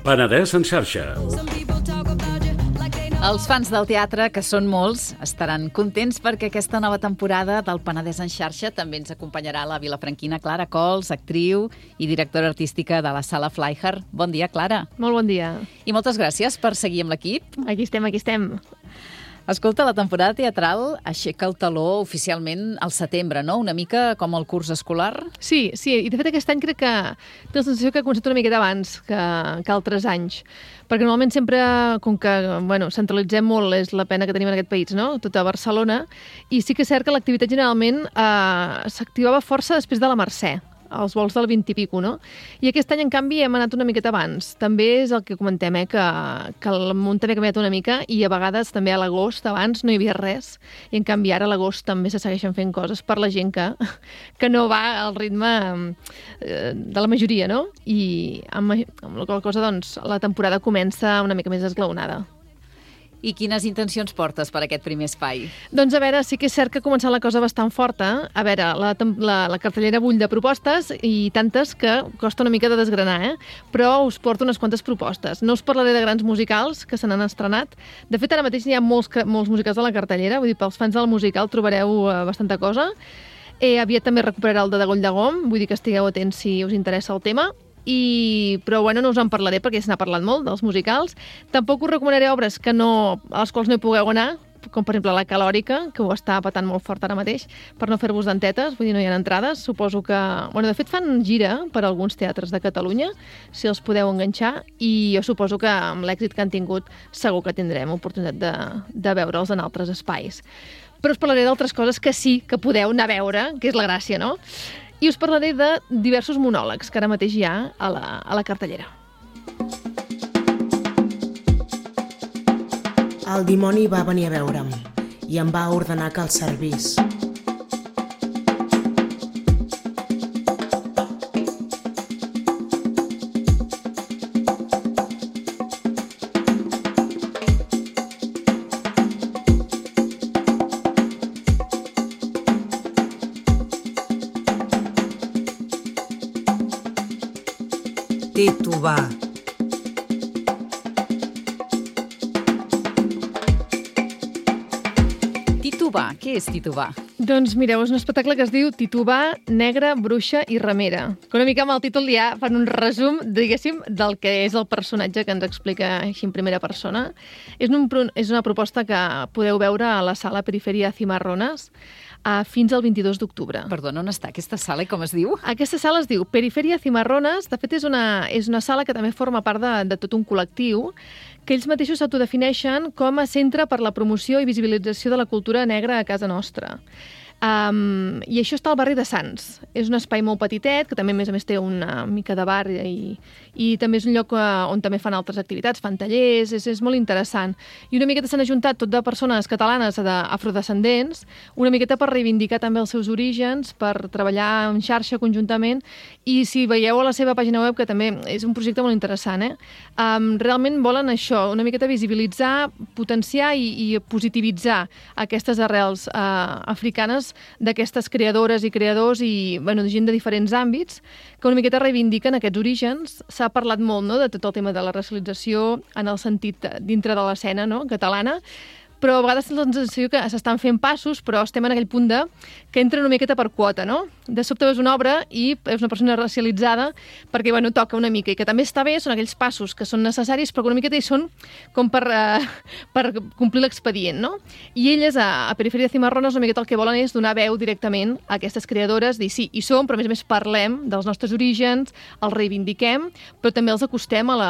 Penedès en xarxa. Els fans del teatre, que són molts, estaran contents perquè aquesta nova temporada del Penedès en xarxa també ens acompanyarà la vilafranquina Clara Cols, actriu i directora artística de la Sala Flyher. Bon dia, Clara. Molt bon dia. I moltes gràcies per seguir amb l'equip. Aquí estem. Escolta, la temporada teatral aixeca el taló oficialment al setembre, no? Una mica com el curs escolar. Sí, i de fet aquest any crec que té la sensació que ha començat una miqueta abans que altres anys, perquè normalment sempre, com que centralitzem molt, és la pena que tenim en aquest país, no? Tot a Barcelona, i sí que és cert que l'activitat generalment s'activava força després de la Mercè, els vols del 20 i pico, no? I aquest any, en canvi, hem anat una miqueta abans. També és el que comentem, que el món també ha canviat una mica i a vegades també a l'agost, abans, no hi havia res. I en canvi ara a l'agost també se segueixen fent coses per la gent que no va al ritme de la majoria, no? I amb la qual cosa, doncs, la temporada comença una mica més esglaonada. I quines intencions portes per aquest primer espai? Doncs a veure, sí que és cert que ha començat la cosa bastant forta. A veure, la cartellera bull de propostes i tantes que costa una mica de desgranar, però us porto unes quantes propostes. No us parlaré de grans musicals que se n'han estrenat. De fet, ara mateix hi ha molts musicals a la cartellera, vull dir, pels fans del musical trobareu bastanta cosa. Aviat també recuperarà el de Goll de Gom, vull dir que estigueu atents si us interessa el tema. Però no us en parlaré perquè se n'ha parlat molt dels musicals. Tampoc us recomanaré obres a les quals no hi pugueu anar, com per exemple la Calòrica, que ho està patant molt fort ara mateix, per no fer-vos dentetes, vull dir, no hi ha entrades. Suposo que... de fet fan gira per alguns teatres de Catalunya, si els podeu enganxar, i jo suposo que amb l'èxit que han tingut segur que tindrem oportunitat de veure'ls en altres espais. Però us parlaré d'altres coses que sí que podeu anar a veure, que és la gràcia, no? I us parlaré de diversos monòlegs que ara mateix hi ha a la cartellera. El dimoni va venir a veure'm i em va ordenar que el servís. Titubar. Titubar, què és titubar? Doncs mireu, és un espectacle que es diu Titubar, Negra, Bruixa i Ramera. Que una mica amb el títol ja fan un resum, diguéssim, del que és el personatge que ens explica així en primera persona. És una proposta que podeu veure a la sala Periferia Cimarrones fins al 22 d'octubre. Perdona, on està aquesta sala i com es diu? Aquesta sala es diu Periferia Cimarrones. De fet, és una sala que també forma part de tot un col·lectiu que ells mateixos s'autodefineixen com a centre per la promoció i visibilització de la cultura negra a casa nostra. I això està al barri de Sants. És un espai molt petitet, que també a més té una mica de bar i també és un lloc on també fan altres activitats, fan tallers, és molt interessant. I una miqueta s'han ajuntat tot de persones catalanes afrodescendents, una miqueta per reivindicar també els seus orígens, per treballar en xarxa conjuntament, i si veieu a la seva pàgina web, que també és un projecte molt interessant, realment volen això, una miqueta visibilitzar, potenciar i positivitzar aquestes arrels africanes d'aquestes creadores i creadors i gent de diferents àmbits que una miqueta reivindiquen aquests orígens. S'ha parlat molt, no?, de tot el tema de la racialització en el sentit dintre de l'escena, no?, catalana, però a vegades té la sensació que s'estan fent passos, però estem en aquell punt que entra una miqueta per quota, no? De sobte veus una obra i és una persona racialitzada perquè, toca una mica, i que també està bé, són aquells passos que són necessaris, però que una miqueta hi són com per complir l'expedient, no? I elles, a Periferia Cimarrones, una miqueta el que volen és donar veu directament a aquestes creadores, dir sí, hi som, però a més parlem dels nostres orígens, els reivindiquem, però també els acostem a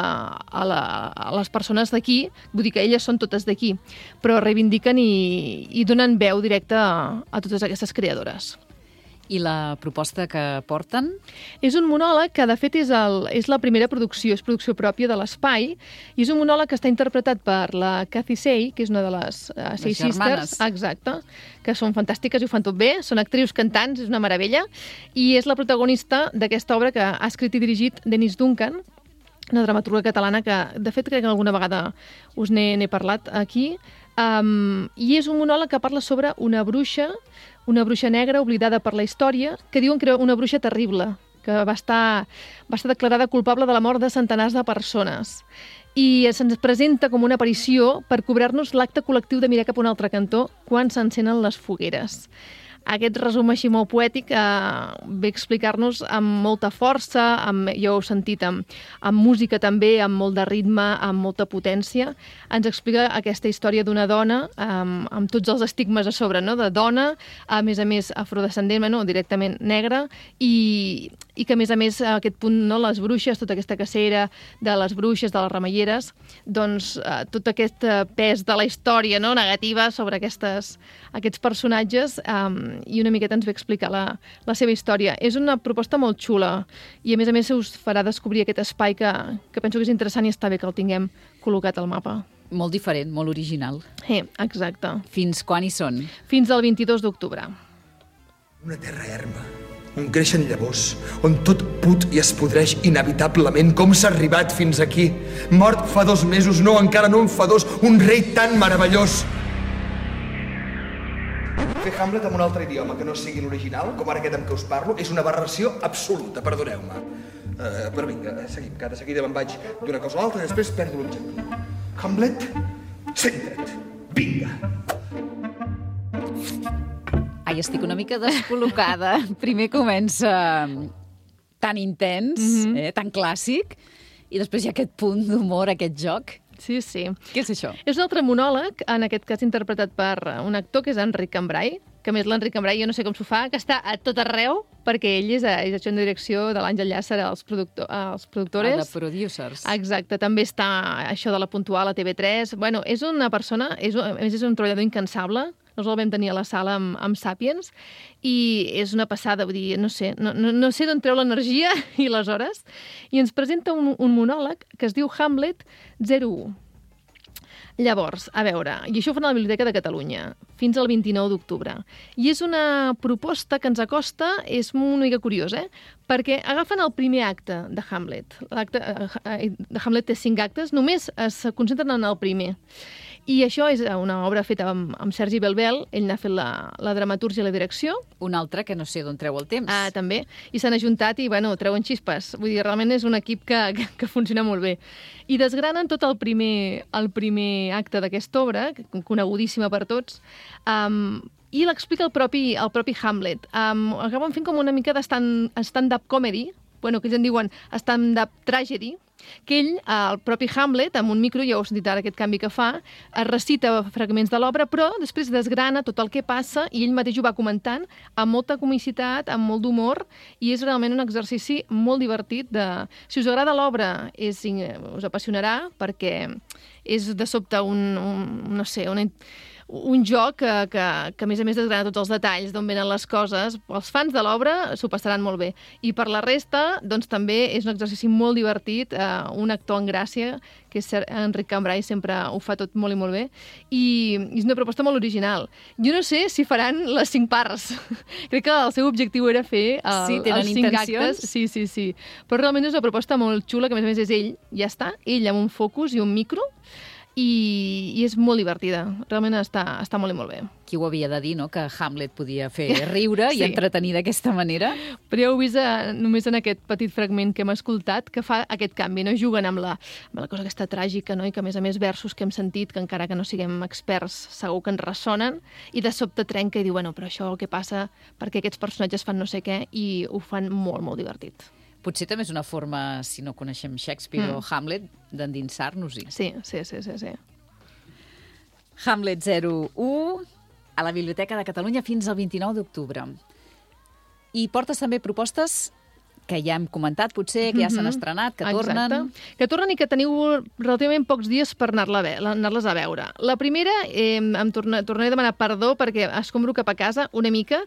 les persones d'aquí, vull dir que elles són totes d'aquí, però reivindiquen i donen veu directa a totes aquestes creadores. I la proposta que porten? És un monòleg que, de fet, és la primera producció, és producció pròpia de l'Espai, i és un monòleg que està interpretat per la Cathy Say, que és una de les Say Sisters, exacte, que són fantàstiques i ho fan tot bé, són actrius cantants, és una meravella, i és la protagonista d'aquesta obra que ha escrit i dirigit Denise Duncan, una dramaturga catalana que, de fet, crec que alguna vegada us n'he parlat aquí, i és un monòleg que parla sobre una bruixa negra oblidada per la història, que diuen que era una bruixa terrible, que va estar declarada culpable de la mort de centenars de persones. I se'ns presenta com una aparició per cobrar-nos l'acte col·lectiu de mirar cap a un altre cantó quan s'encenen les fogueres. Aquest resum així molt poètic ve a explicar-nos amb molta força, ja ho heu sentit, amb música també, amb molt de ritme, amb molta potència. Ens explica aquesta història d'una dona amb tots els estigmes a sobre, no? De dona, a més afrodescendent, no? Directament negra, i que a més aquest punt, no? Les bruixes, tota aquesta cacera de les bruixes, de les remeieres, doncs tot aquest pes de la història, no? Negativa sobre aquests personatges, i una miqueta ens ve explicar la seva història. És una proposta molt xula i a més us farà descobrir aquest espai que penso que és interessant i està bé que el tinguem col·locat al mapa. Molt diferent, molt original. Exacte. Fins quan hi són? Fins al 22 d'octubre. Una terra erma, on creixen llavors, on tot put i es podreix inevitablement. Com s'ha arribat fins aquí? Mort fa 2 mesos, no, encara no en fa 2, un rei tan meravellós. Fer Hamlet en un altre idioma que no sigui l'original, com ara aquest amb què us parlo, és una aberració absoluta, perdoneu-me. Però vinga, seguim, que ara seguida me'n vaig d'una cosa a l'altra i després perdo l'objectiu. Hamlet, centra't, vinga. Ai, estic una mica descol·locada. Primer comença tan intens, tan clàssic, i després hi ha aquest punt d'humor, aquest joc. Sí. Què és això? És un altre monòleg, en aquest cas interpretat per un actor que és Enric Cambrai, que a més l'Enric Cambrai, jo no sé com s'ho fa, que està a tot arreu, perquè ell és adjunt de direcció de l'Àngel Llàcer als productores. De producers. Exacte, també està això de la Puntual a TV3. Bueno, és una persona, a més és un treballador incansable. Nosaltres el vam tenir a la sala amb Sàpiens i és una passada, vull dir, no sé d'on treu l'energia i les hores. I ens presenta un monòleg que es diu Hamlet 01. Llavors, a veure, i això ho fan a la Biblioteca de Catalunya, fins al 29 d'octubre. I és una proposta que ens acosta, és una mica curiós, perquè agafen el primer acte de Hamlet. L'acte de Hamlet té 5 actes, només es concentren en el primer. I això és una obra feta amb Sergi Belbel, ell n'ha fet la dramatúrgia i la direcció. Un altre que no sé d'on treu el temps. També. I s'han ajuntat i, treuen xispes. Vull dir, realment és un equip que funciona molt bé. I desgranen tot el primer acte d'aquesta obra, conegudíssima per tots, i l'explica el propi Hamlet. Acaben fent com una mica de stand-up comedy, que ells en diuen stand-up tragedy, que ell, el propi Hamlet, amb un micro, ja ho heu sentit ara aquest canvi que fa, recita fragments de l'obra, però després desgrana tot el que passa i ell mateix ho va comentant amb molta comicitat, amb molt d'humor, i és realment un exercici molt divertit. Si us agrada l'obra, us apassionarà, perquè és de sobte un joc que a més desgrana tots els detalls d'on venen les coses. Els fans de l'obra s'ho passaran molt bé. I per la resta, doncs també és un exercici molt divertit, un actor en gràcia, que és Enric Cambrai, sempre ho fa tot molt i molt bé, i és una proposta molt original. Jo no sé si faran les 5 parts. Crec que el seu objectiu era fer els 5 actes. Sí. Però realment és una proposta molt xula, que a més és ell, ja està, ell amb un focus i un micro, i és molt divertida. Realment està molt i molt bé. Qui ho havia de dir, no?, que Hamlet podia fer riure i entretenir d'aquesta manera. Però ja heu vist només en aquest petit fragment que hem escoltat que fa aquest canvi, no? Juguen amb la cosa aquesta tràgica, no? I que a més versos que hem sentit, que encara que no siguem experts segur que ens ressonen, i de sobte trenca i diu, però això què passa perquè aquests personatges fan no sé què, i ho fan molt, molt divertit. Potser també és una forma, si no coneixem Shakespeare o Hamlet, d'endinsar-nos-hi. Sí. Hamlet 01, a la Biblioteca de Catalunya fins al 29 d'octubre. I portes també propostes que ja hem comentat, potser, que ja s'han estrenat, que tornen. Exacte. Que tornen i que teniu relativament pocs dies per anar-les a veure. La primera, em tornaré a demanar perdó perquè escombro cap a casa una mica.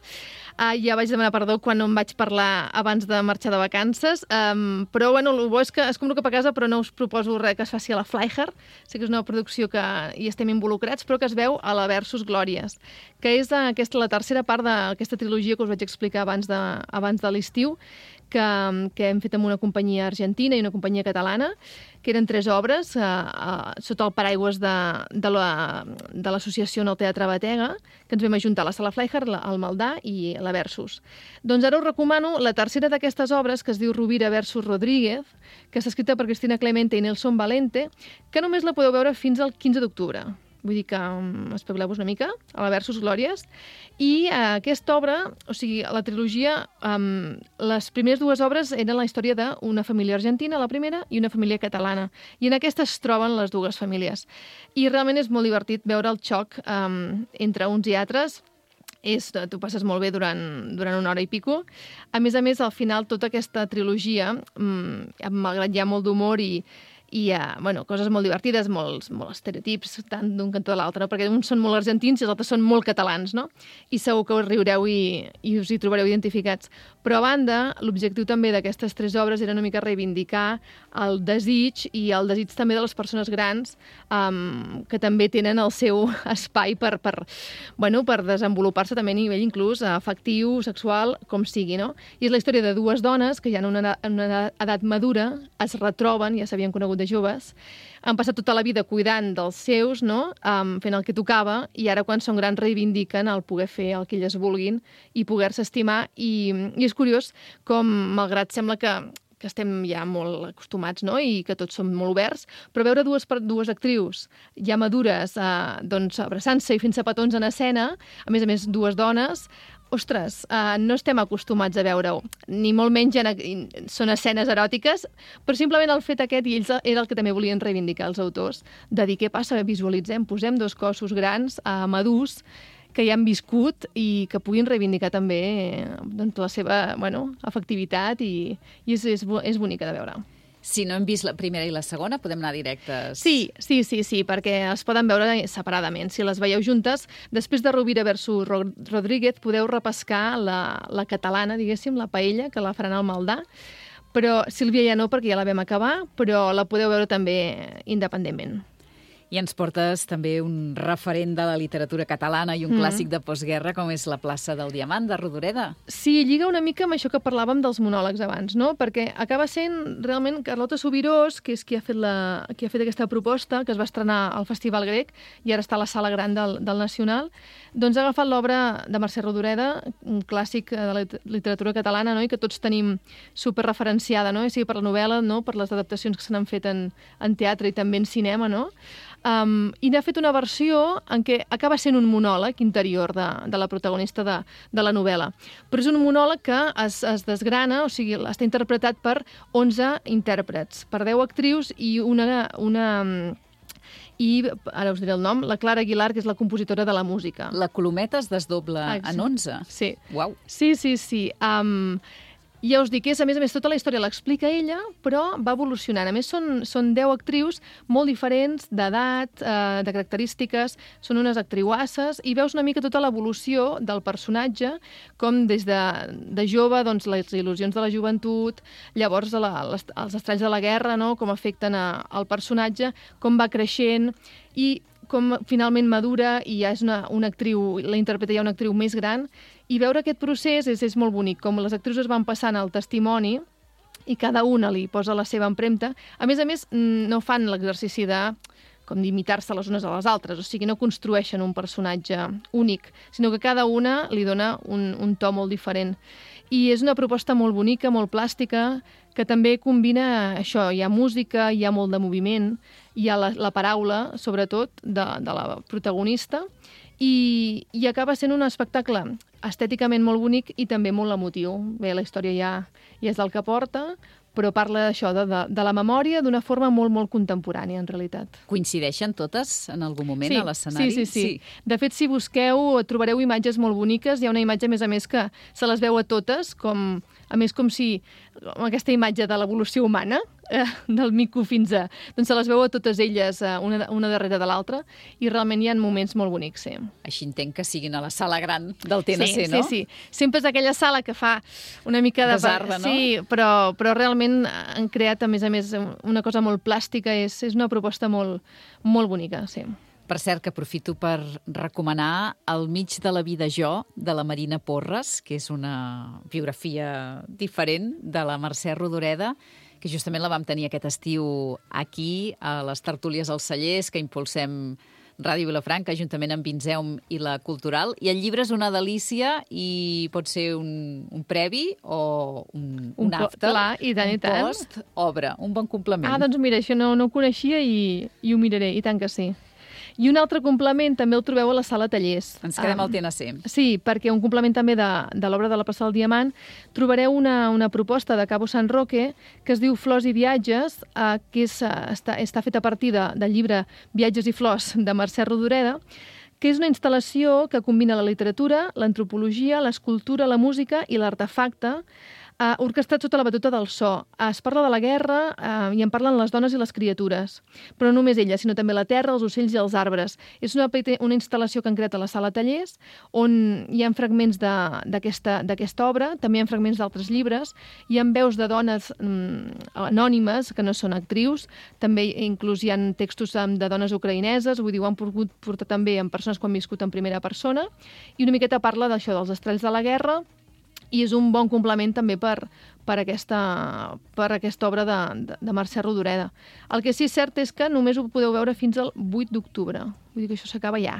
Ja vaig demanar perdó quan no em vaig parlar abans de marxar de vacances, però el bo és que escombro cap a casa, però no us proposo res que es faci a la Flyher. Sé que és una producció que hi estem involucrats, però que es veu a la Versus Glòries, que és la tercera part d'aquesta trilogia que us vaig explicar abans de l'estiu, que hem fet amb una companyia argentina i una companyia catalana, que eren 3 obres sota el paraigües de l'associació en el Teatre Batega, que ens vam ajuntar la Sala Fleischer, el Maldà i la Versus. Doncs ara us recomano la tercera d'aquestes obres, que es diu Rovira versus Rodríguez, que està escrita per Cristina Clemente i Nelson Valente, que només la podeu veure fins al 15 d'octubre. Vull dir que espavileu-vos una mica, a la Versus Glòries. I aquesta obra, o sigui, la trilogia, les primeres 2 obres eren la història d'una família argentina, la primera, i una família catalana. I en aquesta es troben les 2 famílies. I realment és molt divertit veure el xoc entre uns i altres. Tu passes molt bé durant 1 hora i pico. A més, al final, tota aquesta trilogia, malgrat hi ha molt d'humor i coses molt divertides, molt estereotips, tant d'un cantó a l'altre, perquè uns són molt argentins i els altres són molt catalans, no? I segur que us riureu i us hi trobareu identificats. Però a banda, l'objectiu també d'aquestes 3 obres era una mica reivindicar el desig i el desig també de les persones grans, que també tenen el seu espai per desenvolupar-se també a nivell inclús afectiu, sexual, com sigui, no? I és la història de 2 dones que ja en una edat madura es retroben, ja s'havien conegut de joves, han passat tota la vida cuidant dels seus, no? Fent el que tocava, i ara quan són grans reivindiquen el poder fer el que elles vulguin i poder-se estimar, i és curiós com, malgrat sembla que estem ja molt acostumats, no? I que tots som molt oberts, però veure dues actrius ja madures abraçant-se i fent-se petons en escena, a més 2 dones, ostres, no estem acostumats a veure-ho, ni molt menys són escenes eròtiques, però simplement el fet aquest, i ells era el que també volien reivindicar els autors, de dir què passa, visualitzem, posem 2 cossos grans, madurs, que ja han viscut i que puguin reivindicar també la seva afectivitat, i és bonica de veure. Si no hem vist la primera i la segona, podem anar directes? Sí, perquè es poden veure separadament. Si les veieu juntes, després de Rovira versus Rodríguez, podeu repescar la catalana, diguéssim, la paella, que la faran al Maldà. Però Sílvia ja no, perquè ja la vam acabar, però la podeu veure també independentment. I ens portes també un referent de la literatura catalana i un clàssic de postguerra, com és La plaça del Diamant, de Rodoreda. Sí, lliga una mica amb això que parlàvem dels monòlegs abans, no? Perquè acaba sent realment Carlota Subirós, que és qui ha fet aquesta proposta, que es va estrenar al Festival Grec i ara està a la Sala Gran del Nacional, doncs ha agafat l'obra de Mercè Rodoreda, un clàssic de la literatura catalana, no? I que tots tenim superreferenciada, no? I sigui per la novel·la, no? Per les adaptacions que se n'han fet en teatre i també en cinema, no? I n'ha fet una versió en què acaba sent un monòleg interior de la protagonista de la novel·la. Però és un monòleg que es desgrana, o sigui, està interpretat per 11 intèrprets, per 10 actrius i i ara us diré el nom, la Clara Aguilar, que és la compositora de la música. La colometa es desdobla en 11? Sí. Uau. Sí. Ja us dic, a més, tota la història l'explica ella, però va evolucionant. A més, són 10 actrius molt diferents d'edat, de característiques, són unes actriuasses, i veus una mica tota l'evolució del personatge, com des de jove, doncs, les il·lusions de la joventut, llavors els estralls de la guerra, no?, com afecten al personatge, com va creixent, i com finalment madura i ja és una actriu, la interpreta ja una actriu més gran, i veure aquest procés és molt bonic, com les actrius es van passant el testimoni i cada una li posa la seva empremta. A més, no fan l'exercici d'imitar-se les unes a les altres, o sigui, no construeixen un personatge únic, sinó que cada una li dona un to molt diferent. I és una proposta molt bonica, molt plàstica, que també combina això, hi ha música, hi ha molt de moviment, hi ha la paraula, sobretot, de la protagonista, i acaba sent un espectacle estèticament molt bonic i també molt emotiu. Bé, la història ja és del que porta, però parla d'això, de la memòria d'una forma molt, molt contemporània, en realitat. Coincideixen totes en algun moment a l'escenari? Sí. De fet, si busqueu, trobareu imatges molt boniques. Hi ha una imatge, a més, que se les veu a totes, com si aquesta imatge de l'evolució humana, del mico fins a... Doncs se les veu a totes elles, una darrere de l'altra, i realment hi ha moments molt bonics, sí. Així entenc que siguin a la sala gran del TNC, no? Sí. Sempre és aquella sala que fa una mica de... Desarda, no? Sí, però realment han creat, a més, una cosa molt plàstica, és una proposta molt, molt bonica, sí. Per cert, que aprofito per recomanar El mig de la vida jo, de la Marina Porres, que és una biografia diferent de la Mercè Rodoreda, que justament la vam tenir aquest estiu aquí, a les tertúlies als Cellers, que impulsem Ràdio Vilafranca, juntament amb Vinzeum i la Cultural. I el llibre és una delícia i pot ser un previ o un after, clar, i tant, un post, obra, un bon complement. Ah, doncs mira, això no ho coneixia i ho miraré, i tant que sí. I un altre complement també el trobeu a la sala Tallers. Ens quedem al TNC. Sí, perquè un complement també de l'obra de la Plaça del Diamant, trobareu una proposta de Cabo San Roque que es diu Flors i viatges, que està feta a partir del llibre Viatges i flors de Mercè Rodoreda, que és una instal·lació que combina la literatura, l'antropologia, l'escultura, la música i l'artefacte, orquestrat sota la batuta del so. Es parla de la guerra i en parlen les dones i les criatures. Però no només elles, sinó també la terra, els ocells i els arbres. És una instal·lació que han creat a la sala Tallers, on hi ha fragments d'aquesta obra, també hi ha fragments d'altres llibres, hi ha veus de dones anònimes, que no són actrius, també inclús hi ha textos de dones ucraïneses, vull dir, ho han pogut portar també amb persones que han viscut en primera persona, i una miqueta parla d'això, dels estralls de la guerra, i és un bon complement també per aquesta obra de Mercè Rodoreda. El que sí és cert és que només ho podeu veure fins al 8 d'octubre. Vull dir que això s'acaba ja.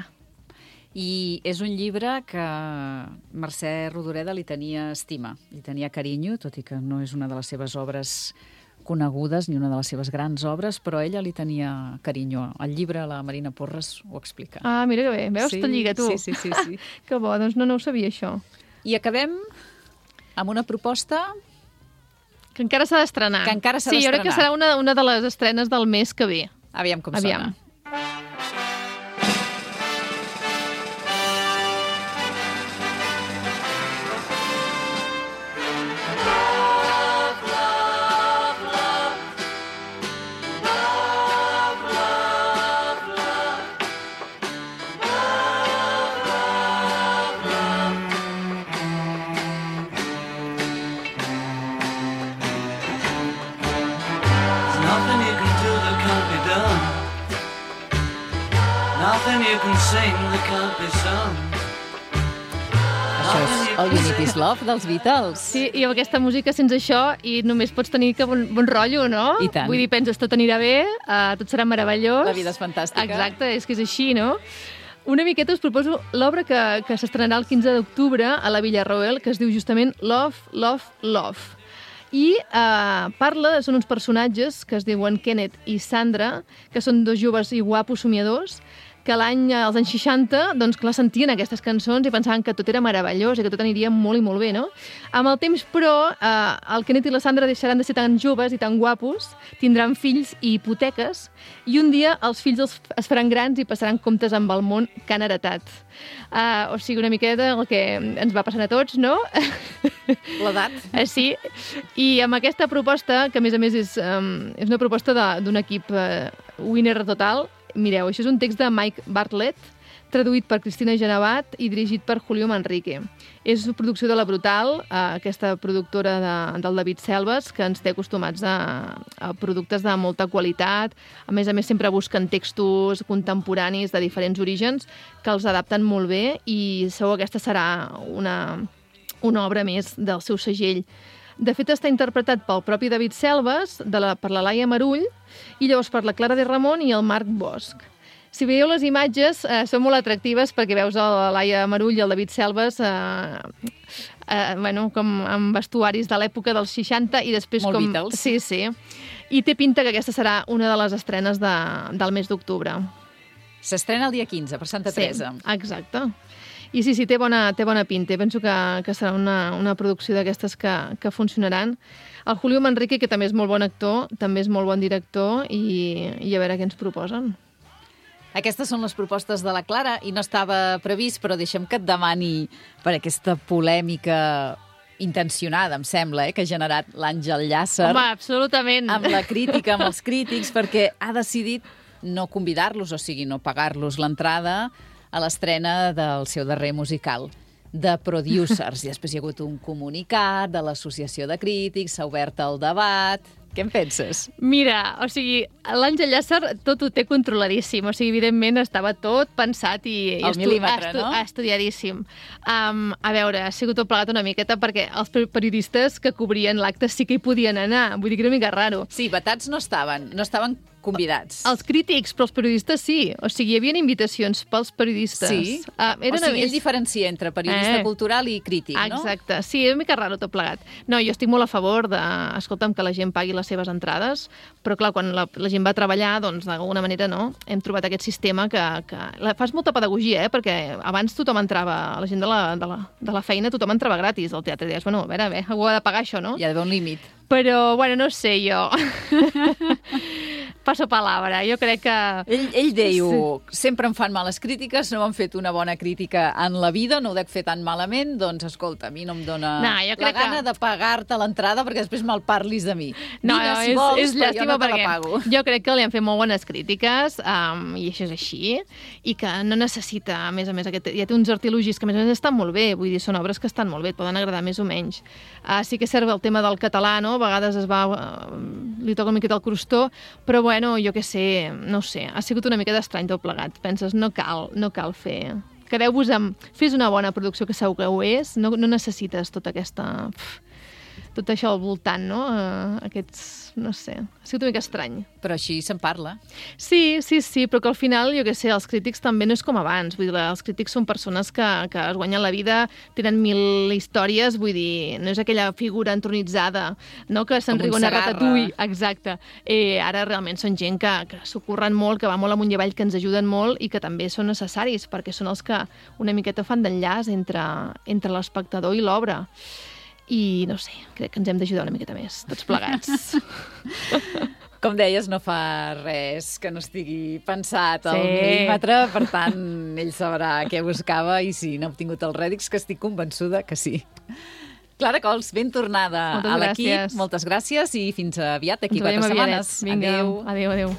I és un llibre que Mercè Rodoreda li tenia estima, li tenia carinyo, tot i que no és una de les seves obres conegudes ni una de les seves grans obres, però ella li tenia carinyo. El llibre, la Marina Porres, ho explica. Ah, mira que bé. Veus? Tot lliga, tu. Sí. Que bo, doncs no ho sabia, això. I acabem amb una proposta que encara s'ha d'estrenar. Sí, jo crec que serà una de les estrenes del mes que ve. Aviam com sona. Nothing you can sing that can't be sung. Això és All You Need Is Love dels Beatles. Sí, i amb aquesta música sense això i només pots tenir que bon rotllo, no? I tant. Vull dir, penses, tot anirà bé, tot serà meravellós. La vida és fantàstica. Exacte, és que és així, no? Una miqueta us proposo l'obra que s'estrenarà el 15 d'octubre a la Villarroel, que es diu justament Love, Love, Love. I són uns personatges que es diuen Kenneth i Sandra, que són dos joves i guapos somiadors, que als anys 60, doncs, clar, sentien aquestes cançons i pensaven que tot era meravellós i que tot aniria molt i molt bé, no? Amb el temps, però, el Kenneth i la Sandra deixaran de ser tan joves i tan guapos, tindran fills i hipoteques, i un dia els fills es faran grans i passaran comptes amb el món que han heretat. O sigui, una miqueta el que ens va passant a tots, no? L'edat. Sí, i amb aquesta proposta, que a més és una proposta d'un equip winner total. Mireu, això és un text de Mike Bartlett, traduït per Cristina Genevat i dirigit per Julio Manrique. És una producció de La Brutal, aquesta productora del David Selves, que ens té acostumats a productes de molta qualitat. A més sempre busquen textos contemporanis de diferents orígens que els adapten molt bé i segur que aquesta serà una obra més del seu segell. De fet, està interpretat pel propi David Selves, per la Laia Marull, i llavors per la Clara de Ramon i el Marc Bosch. Si veieu les imatges, són molt atractives perquè veus la Laia Marull i el David Selves com amb vestuaris de l'època dels 60 i després molt com... Beatles. Sí. I té pinta que aquesta serà una de les estrenes del mes d'octubre. S'estrena el dia 15, per Santa Teresa. Sí, exacte. I sí, té bona pinta. Penso que serà una producció d'aquestes que funcionaran. El Julio Manrique, que també és molt bon actor, també és molt bon director, i a veure què ens proposen. Aquestes són les propostes de la Clara i no estava previst, però deixem que et demani per aquesta polèmica intencionada, em sembla, que ha generat l'Àngel Llàcer. Home, absolutament. Amb la crítica, amb els crítics, perquè ha decidit no convidar-los, o sigui, no pagar-los l'entrada a l'estrena del seu darrer musical, The Producers. I després hi ha hagut un comunicat de l'Associació de Crítics, s'ha obert el debat, Què en penses? Mira, o sigui, l'Àngel Llàcer tot ho té controladíssim. O sigui, evidentment estava tot pensat i Al mil·límetre, no? Estudiadíssim. A veure, ha sigut tot plegat una miqueta perquè els periodistes que cobrien l'acte sí que hi podien anar. Vull dir que era una mica raro. Sí, vetats no estaven convidats. Els crítics, però els periodistes sí. O sigui, hi havia invitacions pels periodistes. Sí? O sigui, ell diferencia entre periodista cultural i crític, no? Exacte. Sí, és una mica raro tot plegat. No, jo estic molt a favor de, escolta'm, que la gent pagui les seves entrades, però clar, quan la gent va treballar, doncs d'alguna manera no, hem trobat aquest sistema que fas molta pedagogia, perquè abans tothom entrava, la gent de la feina, tothom entrava gratis al teatre. I deies, bueno, a veure, algú ha de pagar això, no? Hi ha d'haver un límit. Però, bueno, no sé, jo... Passo palabra, jo crec que... Ell diu, sempre em fan males crítiques, no m'han fet una bona crítica en la vida, no ho dec fer tan malament, doncs escolta, a mi no em dona la gana de pagar-te l'entrada perquè després malparlis de mi. No, vine, si vols, és però jo no te la pago. Jo crec que li han fet molt bones crítiques, i això és així, i que no necessita, a més, ja té uns artilugis que a més estan molt bé, vull dir, són obres que estan molt bé, et poden agradar més o menys. Sí que serve el tema del català, no? A vegades li toca una miqueta el crostó, però bueno, jo què sé, no ho sé, ha sigut una mica d'estrany tot plegat. Penses, no cal fer... Quedeu-vos amb... Fes una bona producció, que segur que ho és, no necessites tota aquesta... tot això al voltant, no? Aquests... no sé, ha sigut una mica estrany. Però així se'n parla. Sí, però que al final, jo què sé, els crítics també no és com abans. Vull dir, els crítics són persones que es guanyen la vida, tenen 1000 històries, vull dir, no és aquella figura entronitzada, no?, que se'n riuen a Ratatouille. Exacte. Ara realment són gent que s'ho curren molt, que va molt amunt i avall, que ens ajuden molt i que també són necessaris, perquè són els que una miqueta fan d'enllaç entre l'espectador i l'obra. I no sé, crec que ens hem d'ajudar una miqueta més, tots plegats. Com deies, no fa res que no estigui pensat al mil·límetre, per tant, ell sabrà què buscava i si n'ha obtingut els rèdits, que estic convençuda que sí. Clara Cols, ben tornada a l'equip. Moltes gràcies i fins aviat, d'aquí 4 setmanes. Vinga, adéu.